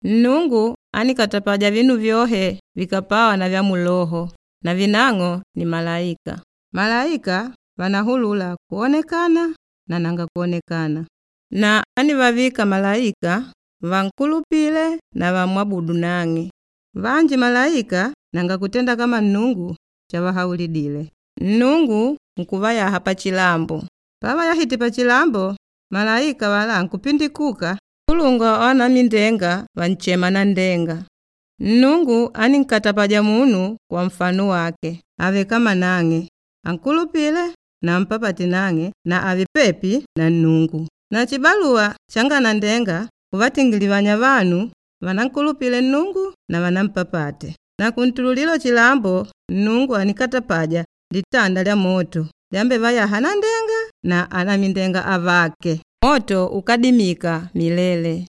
Nnungu aníkatapaja vinu vyohe vikapawa na vyamuloho na vinang'o ni malaika. Malaika vanahulula kwonekana na nanga kwonekana. Na anívavika malaika vankulupile na vamwabudu nang'e. Vanji malaika nanga kutenda kama Nnungu chavahaulidile. Nnungu nkuvayaha pachilambo. Pavayahite pachilambo, malaika avalá ankupindikuka nkulungwa wavanamindenga vanshema nanndenga. Nnungu anínkatapaja munu kwamfano wake ave kama nang'e, ankulupile na ampapate nang'e na ave pepi na Nnungu. Na chibaluwa changa nanndenga kuvatingilivanya vanu vanankulupile Nnungu na vanampapate. Na kuntululilo chilambo Nnungu anikatapaja litanda lyamoto lyambevayaha nanndenga na anamindenga avake, moto úkadimika milele.